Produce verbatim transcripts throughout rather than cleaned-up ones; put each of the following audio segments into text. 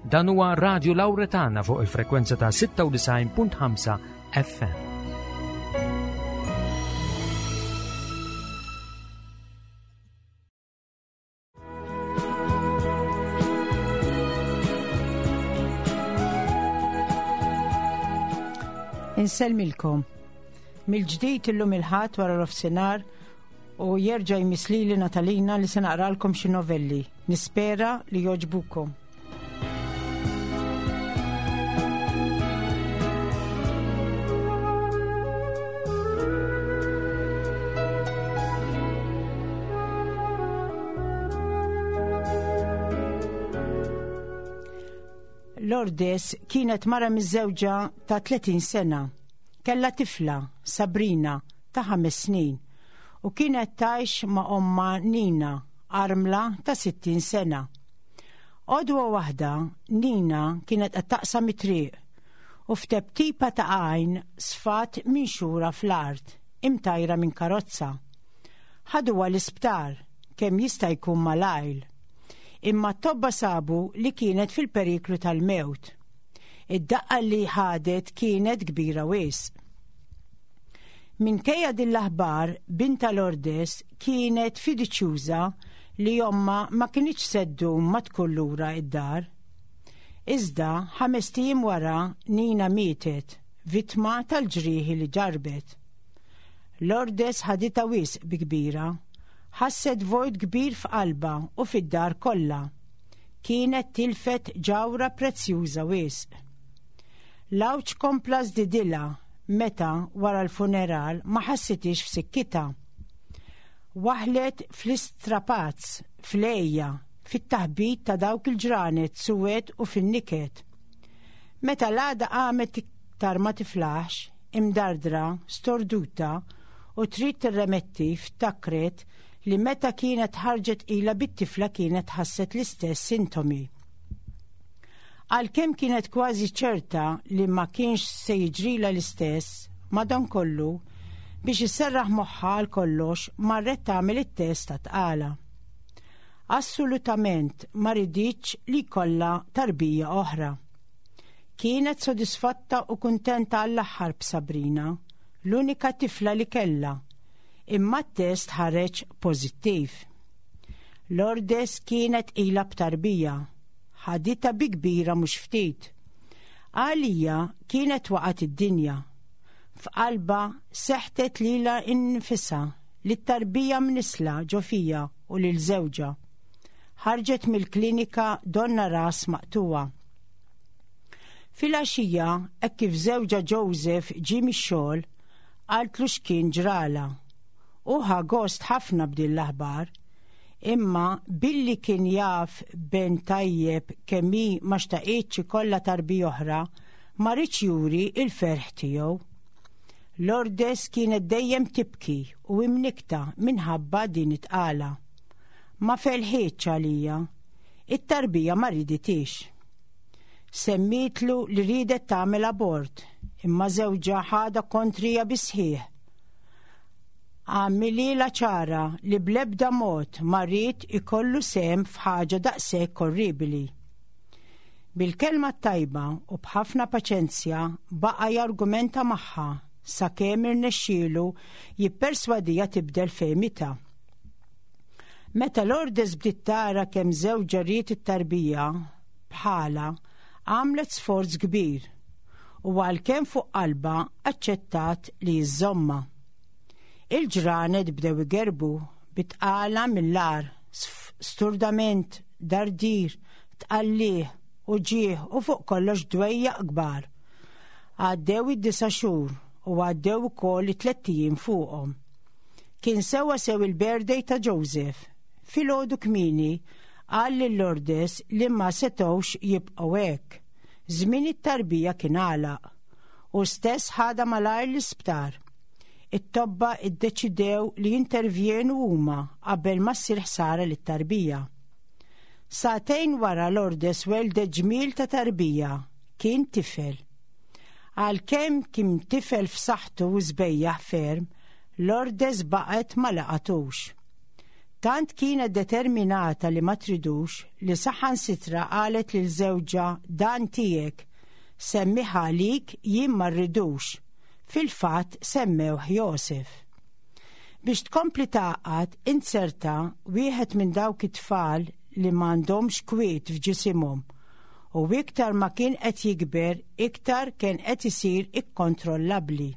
Dan huwa Radio Lauretana fuq il-frekwenza ta' sitta u disgħin punt ħamsa F M. Insellmilkom. Mill-ġdid illum il-Ħadd wara nofsinhar u jerġa' jmiss lili Natalina li se naqralkom xi novelli. Nispera li jogħġbukom. Lourdes kienet mara miżżewġa ta' tletin sena. Kella tifla, Sabrina, ta' ħames snin, u kienet tgħix ma' omma Nina, armla ta' sittin sena. Għodwa waħda, Nina kienet qed taqsam it-triq u f'teptipa ta' għajn sfat minxura fl-art, imtajra minn karozza. Ħaduha l-isptar kemm jista' jkun malajr. Imma t-tobba sabu li kienet fil-periklu tal-mewt. Id-daqqa li ħadet kienet kbira wisq. Minkejja din l-aħbar, bintha Lourdes kienet fiduċjuża li omma ma kinitx se ddum ma tkun lura id-dar. Iżda ħamest ijiem wara Nina mietet, vittma tal-ġrieħi li ġarbet. Lourdes ħaditha wisq bi kbira, ħasset vojt kbir f'qalba u fid-dar kollha. Kienet tilfet ġawra prezzjuża wisq. L-għawġ kompla żdidilha meta wara l-funeral ma ħassitix f'sikkitha. Waħlet fl-istrapazz, fl-għeja, fit-taħbit ta' dawk il-ġranet suwed u fin-niket. Meta l-għada qamet iktar ma tiflaħx, imdardra, storduta u trid tirremetti, ftakret li meta kienet ħarġet ila bit-tifla kienet ħasset l-istess sintomi. Għalkemm kienet kważi ċerta li ma kienx se jiġrila l-istess, madankollu biex isserraħ moħħa għal kollox marret tagħmel it-test ta' tqala. Assolutament ma riditx li jkollha tarbija oħra. Kienet sodisfatta u kuntenta għall-aħħar b'Sabrina, l-unika tifla li kella, imma t-test ħareġ pożittiv. Lourdes kienet ila b'tarbija, ħaditha bi kbira mhux ftit. Għalija kienet waqgħet id-dinja. F'qalba seħtet lilha nfisha, lit-tarbija mnissla ġo fiha u lil żewġha. Ħarġet mill-klinika donnha ras maqtugħa. Filgħaxija, hekk kif żewġha Joseph ġie mix-xogħol, qaltlu x'kien ġrala. U ħa gost ħafna b'din l-aħbar, imma billi kien jaf ben tajjeb kemm hi ma xtaqitx ikollha tarbija oħra, ma riedx juri il-ferħ tiegħu. Lourdes kienet dejjem tibki u imnikta minħabba din it-tqala. Ma felħitx għalija, it-tarbija ma riditix. Semmietlu li ridet tagħmel abort, imma żewġha ħadha kontrija bis-sħiħ. Għamilhielha ċara li blebda mod ma ried ikollu sehem f'ħaġa daqshekk orribili. Bil-kelma tajba u b'ħafna paċenzja baqa jargumenta magħha sakemm irnexxielu jipperswadija tibdel fehmitha. Meta Lourdes bdiet tara kemm żewġha ried it-tarbija bħala, għamlet sforz kbir u għalkemm fuq qalba aċċettat li żżommha. Il-ġranet bdew igerbu bit-tqala mill-agħar, sturdament, dardir, tqalliħ, uġigħ u fuq kollox dwejjaq kbar. Għaddew id-disa' xhur u għaddew ukoll it-tlett ijiem fuqhom. Kien sewa sew il-birthday ta' Joseph. Filgħodu kmieni qal lil Lourdes li ma setgħux jibqgħu hekk. Żmien it-tarbija kien għalaq u stess ħadha malajr l-isptar. It-tobba iddeċidew li jintervjenu huma qabel ma ssir ħsara lit-tarbija. Sagħtejn wara Lourdes weldet ġmiel ta' tarbija, kien tifel. Għalkemm kien tifel f'saħħtu u sbejjaħ ferm, Lourdes baqgħet ma laqatux. Tant kienet determinata li ma tridux li saħansitra qalet lil żewġha dan tiegħek, semmih għalik jien ma rridux. Fil-fatt semmewh Josef. Biex tkompli tagħqad inzerta wieħed minn dawk it-tfal li m'għandhomx kwiet f'ġisimhom u iktar ma kien qed jikber iktar kien qed isir ikkontrollabbli.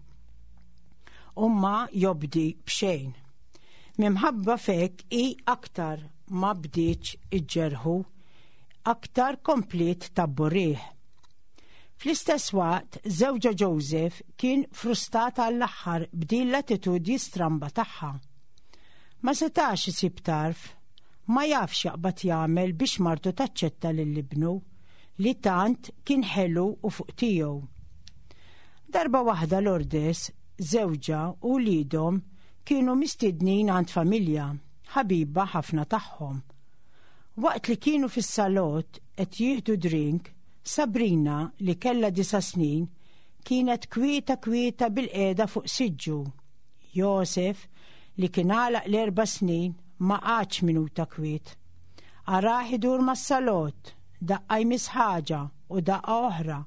U ma jobdi b'xejn. Minħabba f'hekk hi aktar ma bdietx iġġerħu, aktar kompliet tabburih. Fl-istess waqt, żewġha Joseph kien frustrat għall-aħħar b'din l-attitudni stramba tagħha. Ma setax isib tarf, ma jafx jaqbad jagħmel biex martu taċċetta lil ibnu li tant kien ħelu u fuq tiegħu. Darba waħda Lourdes, żewġha u wliedhom kienu mistednin għand familja, ħabiba ħafna tagħhom. Waqt li kienu fis-salott qed jieħdu drink, Sabrina li kella disa snin kienet kwieta kwieta bilqiegħda fuq siġġu. Josef li kien għalaq l-erba' snin ma qagħadx minuta kwiet. Arah idur mas-salott, daqqa jmiss ħaġa u daqqa oħra,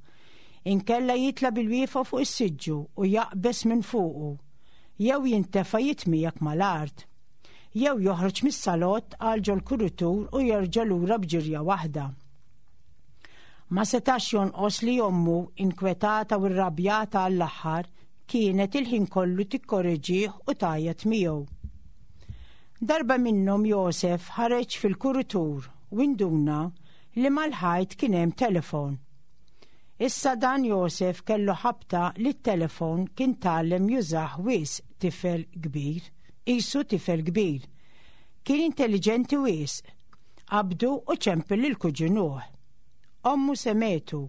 inkella jitla' bilwieqfa fuq is-siġġu u jaqbeż minn fuqu, jew jintefa' jitmiegħek mal-art, jew joħroġ mis-salott għal ġol-kuritur u jerġa' lura b'ġirja waħda. Ma setax jonqos li ommu inkwetata u rrabjata għall-aħħar kienet il-ħin kollu tikkoreġih u tgħajjat miegħu. Darba minnhom Josef ħareġ fil-kuritur u induna li mal-ħajt kien hemm telefon. Issa dan Josef kellu ħabta li t-telefon kien tgħallem jużah wisq tifel kbir, qisu tifel kbir. Kien intelligenti wisq, qabdu u ċempel lil kuġinuh. Ommu semgħetu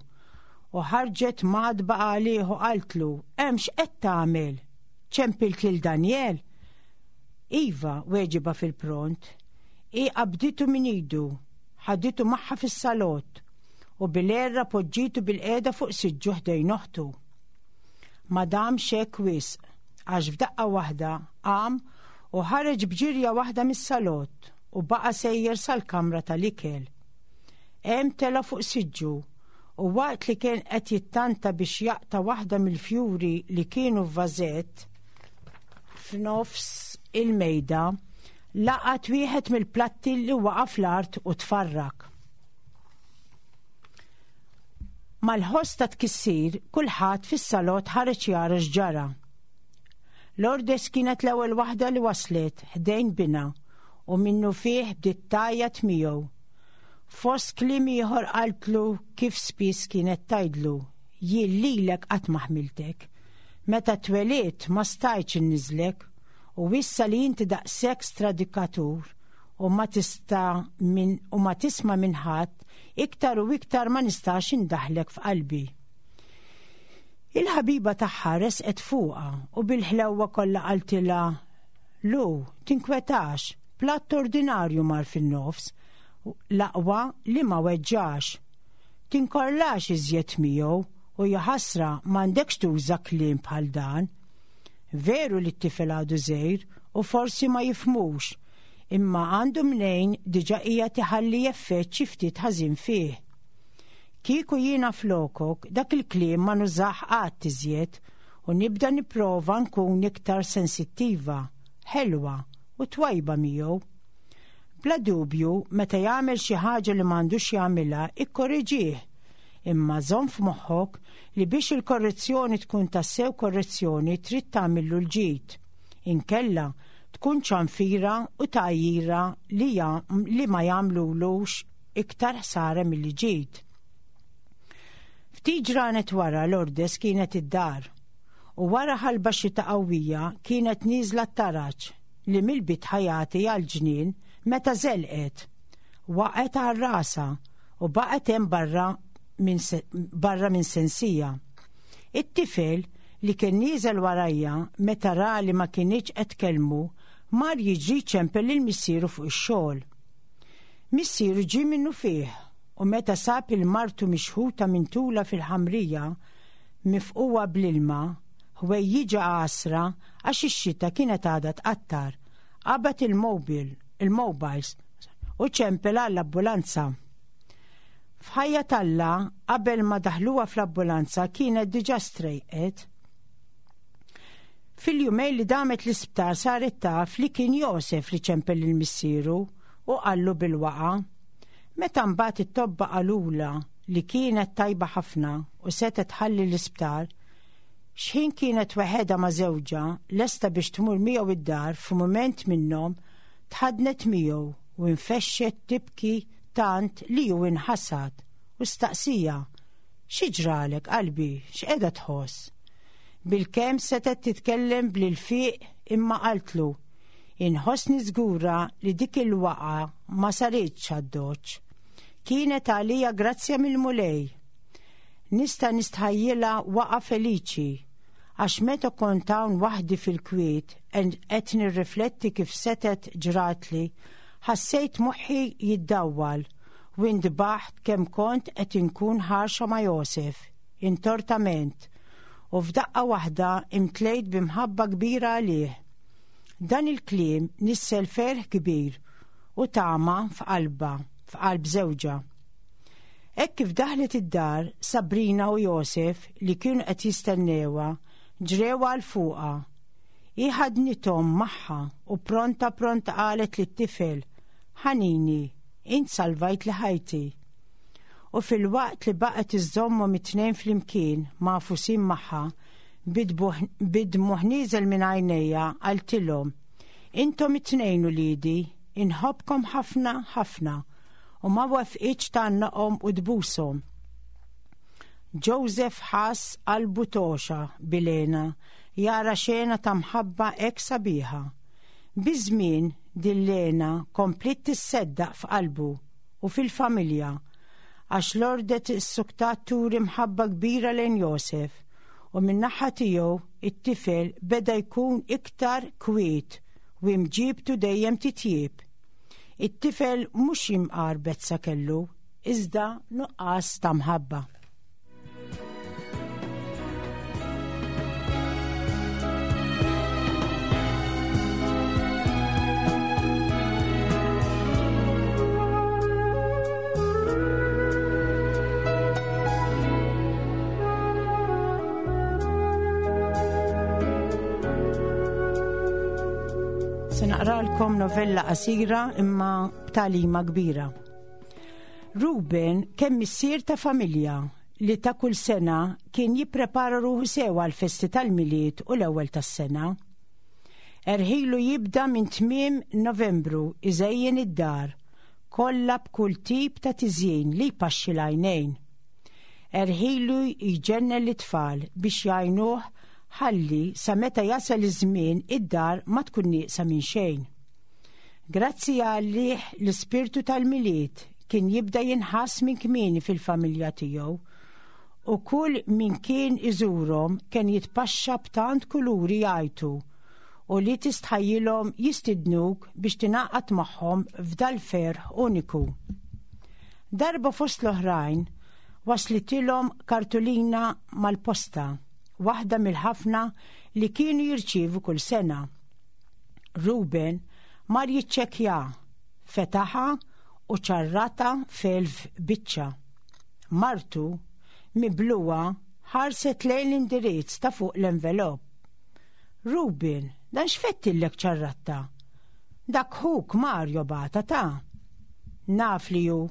u ħarġet mgħaddba għalih u qaltlu, hemm x'qed tagħmel? Ċempilt lil Daniel? Iva, weġibha fil-pront. Hi qabditu minn idu, ħaditu magħha fis-salott u bil-għerra poġġitu bilqiegħda fuq siġġu ħdejn oħtu. Ma damx hekk wisq, għax f'daqqa waħda qam u ħareġ b'ġirja waħda mis-salott u baqa' sejjer sal-kamra tal-ikel. Hemm tela' fuq siġġu u waqt li kien qed jittanta biex jaqta' waħda mill-fjuri li kienu f'vażett f'nofs il-mejda, laqat wieħed mill-platti li waqa' fl-art u tfarrak. Mal-ħoss ta' tkissir, kulħadd fis-salott ħareġ jara x'ġara. Lourdes kienet l-ewwel waħda li waslet ħdejn binha u minnu fih bdiet tgħajjat miegħu. Fost kliem ieħor qaltlu kif spiss kienet tgħidlu, jien lilek qatt ma ħmiltek. Meta twelidt ma stajtx inniżlek u issa li inti daqshekk stradikatur u ma tista' min u ma tisma' minn ħadd, iktar u iktar ma nistax indaħlek f'qalbi. Il-ħabiba tagħha resqet fuqha u bil-ħlewwa kollha qaltilha, Lu, tinkwetax, platt ordinarju mar fin-nofs, l-aqwa li ma weġġax. Tinkorlax iżjed miegħu u jaħasra m'għandekx tuża kliem bħal dan. Veru li t-tifel għadu żgħir u forsi ma jifhmux, imma għandu mnejn diġà qiegħed iħalli effett xi ftit ħażin fih. Kieku jiena flokok dak il-kliem ma nużah qatt iżjed u nibda nipprova nkun iktar sensittiva, ħelwa u twajba miegħu. Bla dubju, meta jagħmel xi ħaġa li m'għandux jagħmilha, ikkoreġih. Imma żomm f'moħħok li biex il-korrezzjoni tkun tassew korrezzjoni trid tagħmillu l-ġid. Inkella tkun ċanfira u tgħajjira li, li ma jagħmlulux iktar ħsara milli ġid. Ftit ġranet wara Lourdes kienet id-dar u wara ħalba xita qawwija kienet nieżla t-taraġ li mill-bitħa jagħti għall-ġnien meta żelqet. Waqgħet għal rasha u baqgħet hemm barra minn barra minn sensija. It-tifel li kien nieżel warajha meta ra li ma kinitx qed tkellmu mar jiġri ċempel lil missieru fuq ix-xogħol. Missieru ġie minnu fih u meta sab lil martu mixħuta minn tula fil-ħamrija mifquwa bl-ilma, ħwejjiġha għasra għax ix-xita kienet għadha tqattar, qabad il-mobil il-mobiles u ċempel għall-ambulanza. F'ħajja t'Alla, qabel ma daħluha fl-ambulanza kienet diġà strejqet. Fil-jumejn li damet l-isptar saret taf li kien Josef li ċempel lil missieru u qallu bil-waqa. Meta mbagħad it-tobba qalula li kienet tajba ħafna u setgħet tħalli l-isptar, x'ħin kienet weħedha ma' żewġha lesta biex tmur miegħu id-dar, f'mument minnhom tħadnet miegħu u infexxet tibki tant li hu inħasad u staqsija: "Xi ġralek qalbi, x'qiegħda tħoss?" Bilkemm setgħet titkellem bl-ilfiq imma qaltlu: "Inħossni żgura li dik il-waqa ma saritx għad-doċ. Kienet għalija grazzja mill-Mulej. Nista' nistħajjilha waqa feliċi, għax meta kont hawn waħdi fil-kwiet qed nirrifletti kif setgħet ġratli, ħassejt moħħi jiddawwal u ndbaħt kemm kont qed inkun ħarxa ma' Josef, intortament, u f'daqqa waħda imtlejt b'imħabba kbira għalih." Dan il-kliem nissel ferħ kbir u tama f'qalba, f'qalb żewġha. Hekk kif daħlet id-dar, Sabrina u Josef li kienu qed jistennewha ġrew għal fuqha. Hi ħadnithom magħha u pronta pronta qalet lit-tifel: "Ħanini, int salvajt li ħajti." U fil-waqt li baqgħet iżżommhom it-tnejn flimkien magħfusin magħha, bid-dmugħ nieżel minn għajnejha qaltilhom: "Intom it-tnejn uliedi, inħobbkom ħafna ħafna," u ma wafqitx tgħannaqhom u tbushom. Joseph ħass qalbu toxa bilena jara xena ta' mħabba hekk sabiħa. Biż-żmien din l-hena kompliet tisseddaq f'qalbu u fil-familja, għax Lourdes issuktat turi mħabba kbira lejn Josef, u min-naħa tiegħu it-tifel beda jkun iktar kwiet u imġibtu dejjem titjieb. It-tifel mhux imqar bezza kellu, iżda nuqqas ta' mħabba. Se naqralkom novella qasira imma b'tagħlima kbira. Ruben kemm missier ta' familja li ta' kull sena kien jipprepara ruħu sew għall-festi tal-Milied u l-ewwel tas-sena. Erħilu jibda minn tmiem Novembru iżejjen id-dar kollha b'kull tip ta' tiżjin li jpaxxi l-għajnejn. Erħilu jġennen l-itfal biex jgħinuh ħalli sa meta jasal iż-żmien id-dar ma tkun nieqsa minn xejn. Grazzi għalih l-ispirtu tal-Milied kien jibda jinħass minn kmieni fil-familja tiegħu, u kull min kien iżurhom kien jitpaxxa b'tant kuluri jgħajtu u li tistħajjilhom jistidnuk biex tingħaqad magħhom f'dal-ferħ uniku. Darba fost l-oħrajn waslitilhom kartolina mal-posta, waħda mill-ħafna li kienu jirċievu kull sena. Ruben mar jiċċekkja, fetaħa u ċarrata f'elf biċċa. Martu, mibluwa, ħarset lejn l-indirizz ta' fuq l-envelop. "Ruben, dan x'fettillek ċarratta? Dak ħuk Mario bata ta'." "Naf li hu,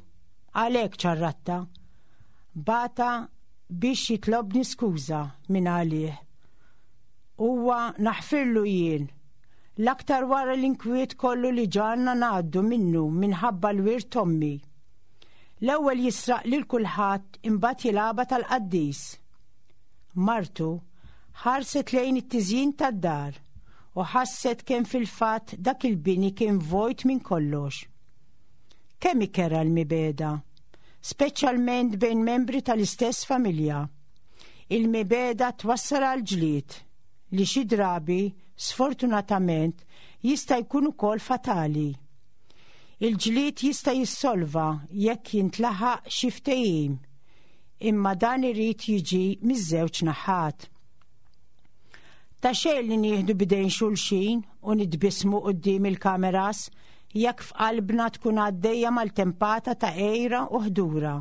għalhekk ċarratta. Bata biex jitlobni skuża minn għalih. Huwa naħfirlu jien, l-aktar wara l-inkwiet kollu li ġarna ngħaddu minnu minħabba l-wirt ommi. L-ewwel jisraq lil kulħadd imbagħad jilgħabha tal-qaddis." Martu ħarset lejn it-tiżjin tad-dar u ħasset kemm fil-fatt dak il-bini kien vojt minn kollox. Kemm ikera l-mibeda, speċjalment bejn membri tal-istess familja. Il-mibeda twassal għal ġlied li xi drabi, sfortunatament, jista' jkun ukoll fatali. Il-ġlied jista' jissolva jekk jintlaħaq xi ftehim, imma dan irid jiġi miż-żewġ naħat. Ta' xejn li nieħdu bidejn xulxin u nitbismu quddiem il-kameras jekk f'qalbna tkun għaddejja mal-tempata ta' għira u ħdura.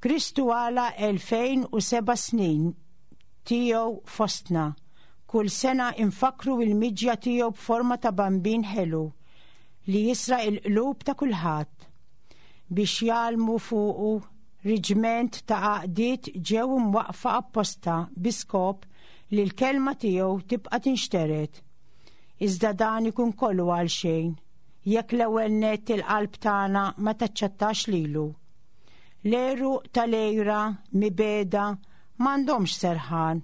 Kristu għala elfejn u seba' snin tiegħu fostna. Kull sena infakru il-miġja tiegħu b'forma ta' bambin ħelu li jisraq il-qlub ta' kulħadd. Biex jgħallmu fuqu riġment ta' għaqdiet ġew imwaqfa apposta bi skop li l-kelma tiegħu tibqa' tinxtered. Iżda dan ikun kollu għal xejn jekk l-ewwel nett il-qalb tagħna ma taċċettax lilu. L-għeruq tal-għira mibeda m'għandhomx serħan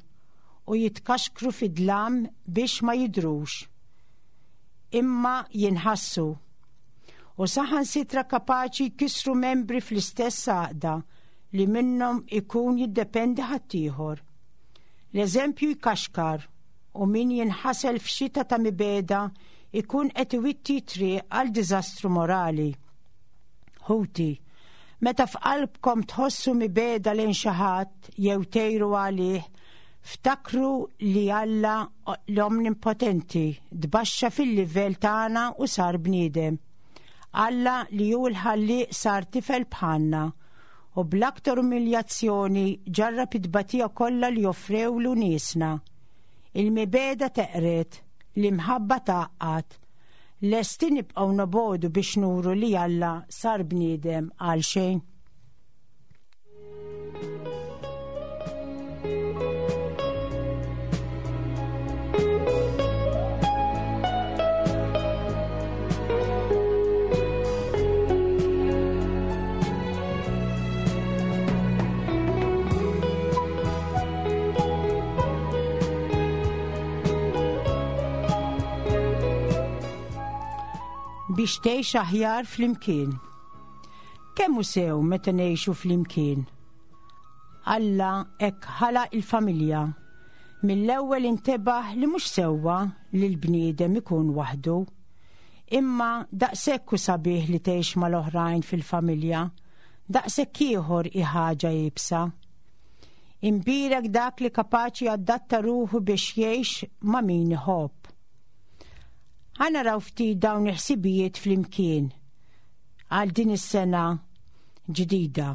u jitkaxkru fid-dlam biex ma jidhrux, imma jinħassu. U saħansitra kapaċi jkissru membri fl-istess għaqda li minnhom ikun jiddependi ħaddieħor. L-eżempju jkaxkar u min jinħasel f'xita ta' mibeda ikun qed iwitti triq għal diżastru morali. Ħuti, meta f'qalbkom tħossu mibeda lejn xi ħadd jew tgħiru għalih, ftakru li Alla l-Omnipotenti tbaxxa fil-livell tagħna u sar bniedem. Alla li hu l-ħallieq sar tifel bħalna u bl-aktar umiljazzjoni ġarrab it-tbatija kollha li offrewlu niesna. Il-mibeda teqret, l-imħabba tgħaqqad. Lesti nibqgħu nobodu biex nuru li Alla sar bniedem għal xejn. Biex tgħix aħjar flimkien. Kemm hu sew meta ngħixu flimkien? Alla hekk ħalaq il-familja. Mill-ewwel intebaħ li mhux sewwa li l-bniedem ikun waħdu. Imma daqshekk hu sabiħ li tgħix mal-oħrajn fil-familja, daqshekk ieħor hi ħaġa iebsa. Imbierek dak li kapaċi jadatta ruħu biex jgħix ma' min iħobb. Ħa naraw ftit dawn il-ħsibijiet flimkien għal din is-sena ġdida.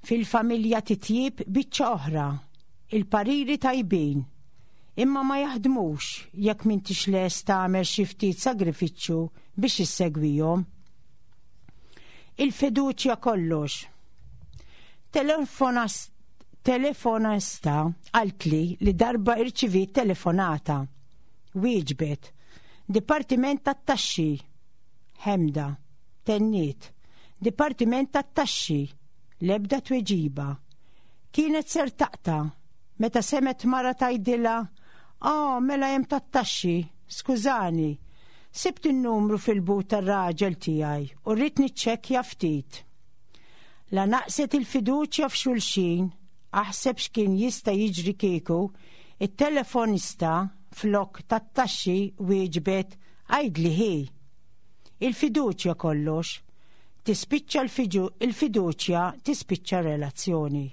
Fil-familja titjib biċċa oħra, il-pariri tajbin, imma ma jaħdmux jekk m'intix lest tagħmel xi ftit sagrifiċċju biex issegwihom. Il-fiduċja kollox. Telefonista qaltli li darba irċiviet telefonata. Wieġbet: Dipartiment tat-taxxi. Ħemda, tenniet. Dipartiment tat-taxxi. L-ebda tweġiba. Kienet ser taqta' meta semet mara tgħidilha: "Ah, mela hemm tat-taxxi, skużani. Sibt in-numru fil-but tar-raġel tiegħi u rrid niċċekkja ftit." La naqset il-fiduċja f'xulxin, aħseb x'kien jista' jiġri kieku it-telefonista flok tat-taxxi wieġbet: "Għidli hi." Il-fiduċja kollox. Tispiċċa il-fiduċja tispiċċa relazzjoni.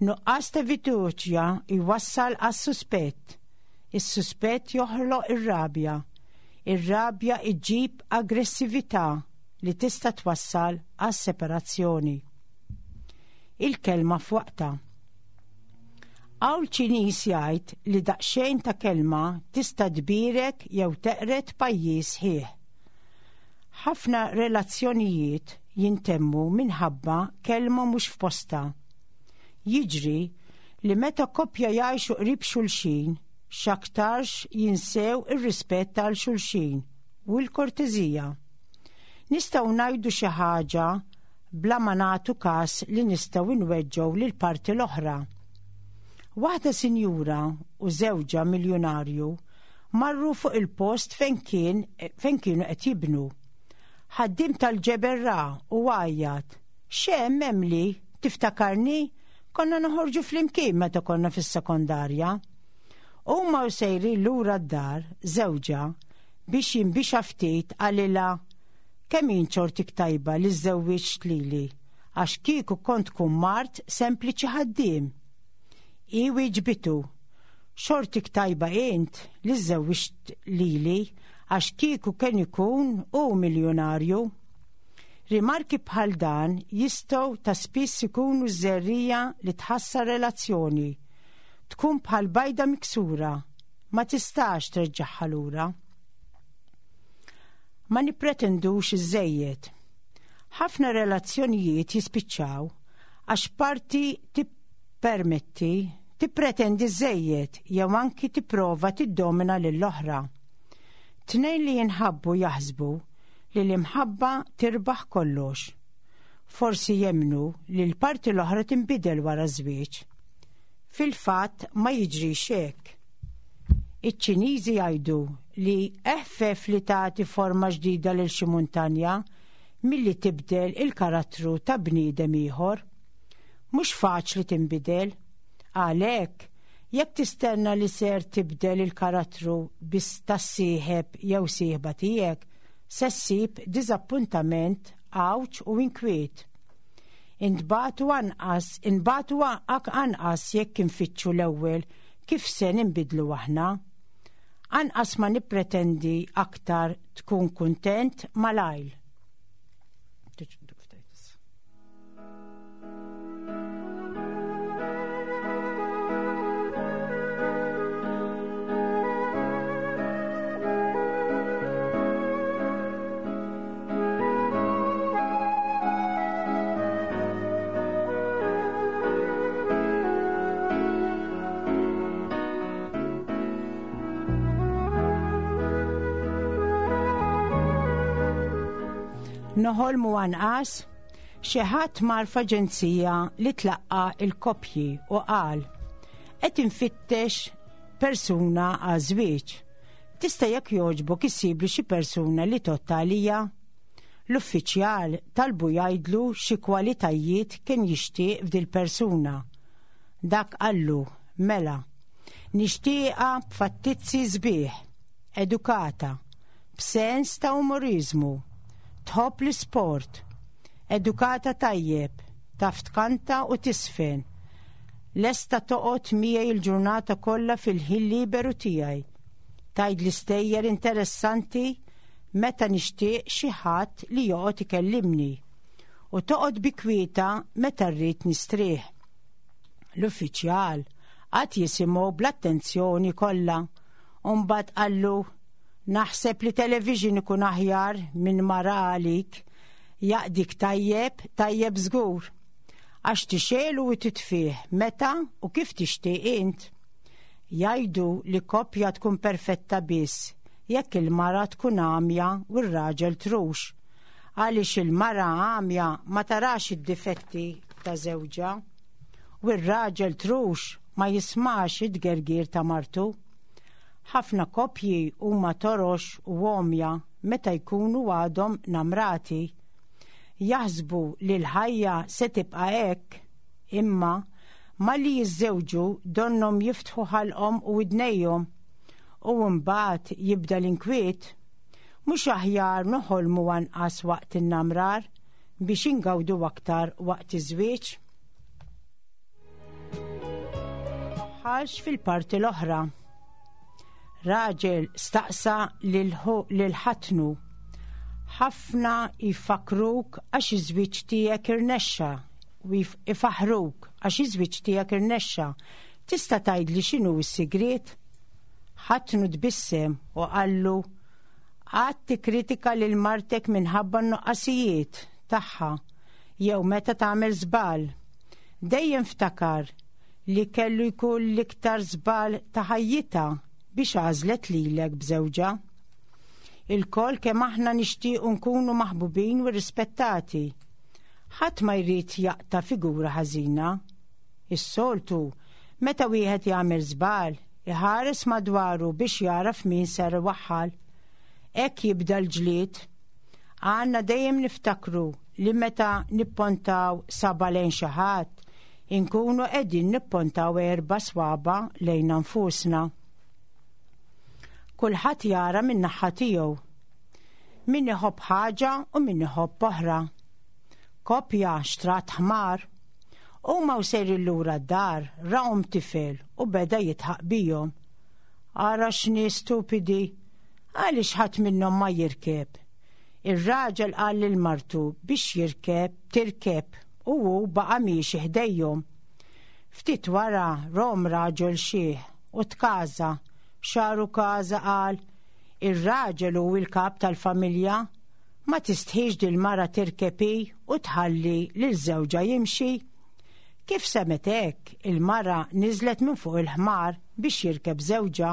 Nuqqas ta' fiduċja jwassal għas-suspett. Is-suspett joħloq ir-rabja. Ir-rabja iġġib aggressività li tista' twassal għas-separazzjoni. Il-kelma f'waqtha. Qawl Ċiniż jgħid li daqsxejn ta' kelma tista' tbierek jew teqret pajjiż ħieħ. Ħafna relazzjonijiet jintemmu minħabba kelma mhux f'posta. Jiġri li meta koppja jgħixu qrib xulxin, x'aktarx jinsew ir-rispett għal xulxin u l-korteżija. Nistgħu ngħidu xi ħaġa bla ma nagħtu każ li nistgħu nweġġgħu lil parti l-oħra. Waħda sinjura u żewġha miljonarju marru fuq il-post fejn kien fejn kienu qed jibnu. Ħaddiem tal-ġebel ra u għajjat: "X'hemm Emily, tiftakarni? Konna noħorġu flimkien meta konna fis-sekondarja." Huma u sejrin lura d-dar, żewġha biex jinbixa ftit qalilha: "Kemm int xortik tajba li żżewwiġt lili, għax kieku kont tkun mart sempliċi ħaddiem." I wieġbitu: "Xortik tajba int li żżewwiġt lili għax kieku kien ikun hu miljonarju. Rimarki bħal dan jistgħu ta' spiss ikunu żerriegħa li tħassar relazzjoni. Tkun bħal bajda miksura, ma tistax treġġagħha lura. Ma nippretendux iżżejjed. Ħafna relazzjonijiet jispiċċaw għax parti tippermetti, tippretendi żżejjed jew anki tipprova tiddomina lill-oħra. Tnejn li jinħabbu jaħsbu li l-imħabba tirbaħ kollox. Forsi jemmnu li l-parti l-oħra tinbidel wara żwieġ. Fil-fatt ma jiġrix hekk. Iċ-Ċiniżi jgħidu li eħfef li tagħti forma ġdida lil xi muntanja milli tibdel il-karattru ta' bniedem ieħor. Mhux faċli tinbidel. Għalhekk, jekk tistenna li ser tibdel il-karattru biss tas-sieħeb jew sieħba tiegħek, se ssib diżappuntament, għawġ u inkwiet. Intbatu anqas, inbatu anqas jekk infittxu l-ewwel kif se ninbidlu aħna. Anqas ma nippretendi aktar tkun kuntent malajr. Noħolmu anqas, xi ħadd mar f'aġenzija li tlaqqa il-koppji u qal qed infittex persuna għaż-żwieġ. Tista' jekk jogħġbok issibli xi persuna li tgħodd għalija? L-uffiċjal talbu jgħidlu xi kwalitajiet kien jixtieq f'dil persuna. Dak qallu, mela, nixtieqha b'fattizzi sbieħ, edukata, b'sens ta' umoriżmu, tħobb l-isport, edukata tajjeb, taf tkanta u tisfen, lesta toqgħod miegħi l-ġurnata kollha fil-ħin liberu tiegħi. Tgħid l-istejjer interessanti meta nixtieq xi ħadd li joqgħod ikellimni u toqgħod bi kwieta meta rrid nistrieħ. L-uffiċjal qatt jisimgħu bl-attenzjoni kollha u mbagħad qallu naħseb li television ikun aħjar minn mara għalik, jaqdik tajjeb, tajjeb żgur, għax tixelu u titfih meta u kif tixtieq int. Jgħidu li koppja tkun perfetta biss jekk il-mara tkun għamja u r-raġel trux, għaliex il-mara għamja ma tarax id-difetti ta' żewġha u r-raġel trux ma jismax id-gergir ta' martu. Ħafna koppji huma torox u għomja meta jkunu għadhom namrati. Jaħsbu li l-ħajja se tibqa' hekk, imma malli jiżżewġu donnhom jiftħu ħalqhom u widnejhom u mbagħad jibda l-inkwiet. Mhux aħjar noħolmu anqas waqt in-namrar biex ingawdu aktar waqt iż-żwieġ? Ħalx fil-parti l-oħra. Raġel staqsa lil ħatnu. Ħafna jfakruk għax iż-żwieġ tiegħek irnexxa u jfaħruk għax iż-żwieġ tiegħek irnexxa. Tista' tgħidli x'inhu s-sigriet? Ħatnu tbissem u qallu qatt tikkritika lil martek minħabba n-nuqqasijiet tagħha jew meta tagħmel żball. Dejjem ftakar li kellu jkun l-iktar żball ta' ħajjitha biex għażlet lilek b'żewġha. Il-koll kemm aħna nixtiequ nkunu maħbubin u rispettati. Ħadd ma jrid jaqta' figura ħażina. Is-soltu, meta wieħed jagħmel żball, iħares madwaru biex jaraf min ser iwaħħal. Hekk jibda l-ġlied. Għandna dejjem niftakru li meta nippontaw saba lejn xi ħadd, inkunu qegħdin nippontaw erba' swaba lejn anfusna. Kulħadd jara min naħa tiegħu. Min iħobb ħaġa u min iħobb oħra. Koppja xtrat ħmar. Huma u sejrin lura d-dar rahom tifel u beda jitħaq bihom. Ara x'nies stupidi, Għaliex ħadd minnhom ma jirkeb? Ir-raġel qal lil martu biex jirkeb tirkeb u hu baqa' miexi ħdejhom. Ftit wara rom raġel xiħ u tkaża, xaru każa qal, ir-raġel hu l-kap tal-familja, ma tistħix dil-mara tirkeb hi u tħalli lil żewġha jimxi. Kif semgħet hekk, il-mara niżlet minn fuq il-ħmar biex jirkeb żewġha.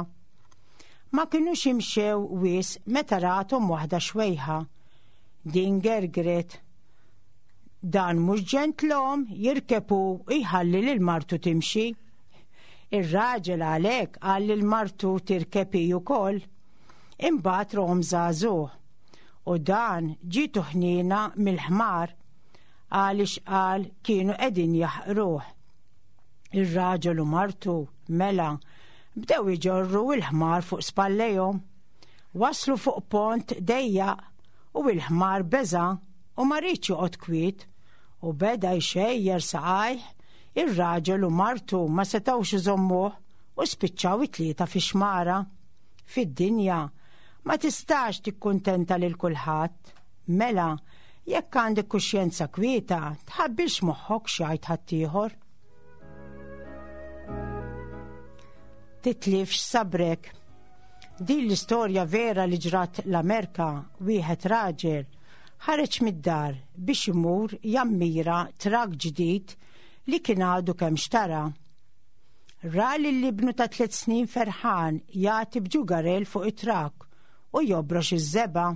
Ma kinux imxew wisq meta rathom waħda xwejħa. Din gergret. Dan mhux ġentlom jirkeb u jħalli lil martu timxi. Ir-raġel għalhekk qal lil martu tirkeb hi wkoll. Imbagħad rom żagħżugħ. U dan ġietu ħniena mill-ħmar għaliex qal kienu qegħdin jaħqruh. Ir-raġel u martu mela bdew iġorru l-ħmar fuq spallejhom. Waslu fuq pont dejjaq u l-ħmar beża' u ma riedx joqgħod kwiet u beda jxejjer saqajh. Ir-raġel u martu ma setgħux iżommuh u spiċċaw it-tlieta fi xmara. Fid-dinja ma tistax tikkuntenta lil kulħadd. Mela, jekk għandek kuxjenza kwieta, tħabbilx moħħok x'jgħid ħaddieħor. Titlifx sabrek. Din l-istorja vera li ġrat l-Amerika, wieħed raġel ħareġ mid-dar biex imur jammira trak ġdid li kien għadu kemm xtara. Ra lil ibnu ta' tliet snin ferħan jagħti b'ġugarel fuq it-trak u jobrox iż-żebgħa.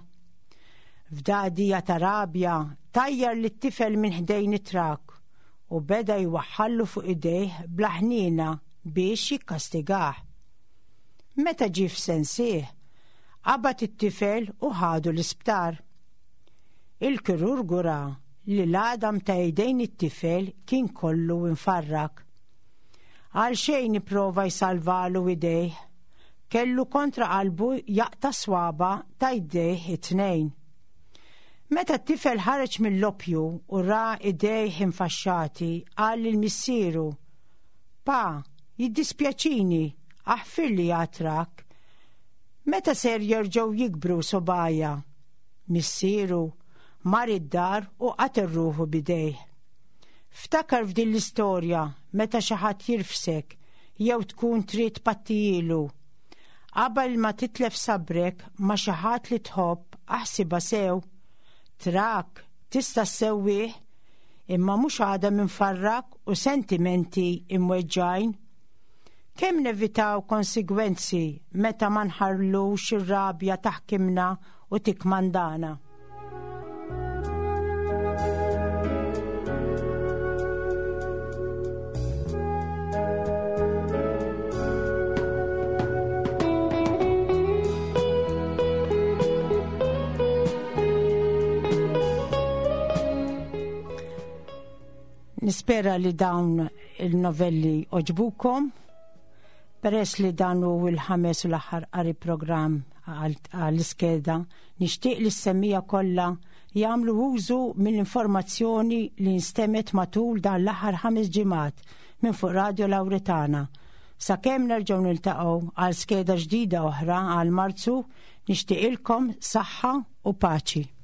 F'dagħdija ta' rabja tajjar lit-tifel minn ħdejn it-trak u beda jwaħħallu fuq idejh bla ħniena biex jikkastigah. Meta ġie f'sensih, qabad it-tifel u ħadu l-isptar. Il-kirurgu ra li l-għadam ta' idejn it-tifel kien kollu infarrak. Għal xejn ipprova jsalvalu idejh, kellu kontra qalbu jaqta' swaba ta' idejh it-tnejn. Meta t-tifel ħareġ mill-loppju u ra idejh infaxxati, qal lil missieru, Pa, jiddispjaċini, aħfirli għatrak. Meta ser jerġgħu jikbru sobaja? Missieru mar id-dar u qatel ruħu bidejh. Ftakar f'din l-istorja meta xi ħadd jirfsek jew tkun trid pattijilu. Qabel ma titlef sabrek ma xi ħadd li tħobb, aħsibha sew. Trak tista' ssewwih, imma mhux għadha minfarrak u sentimenti imweġġajn. Kemm nevitaw konsegwenzi meta ma nħarlux ir-rabja taħkimna u tikmandana. Nispera li dawn il-novelli oġbukom. Peress li dan hu il-ħames u l-aħħar qari programm għall-iskeda, nixtieq li s-semmija kollha jagħmlu użu mill-informazzjoni li nstemet matul dan l-aħħar ħames ġimgħat minn fuq Radio Lawretana. Sakemm nerġgħu niltaqgħu għal skeda ġdida oħra għal Marzu, nixtieqilkom saħħa u paċi.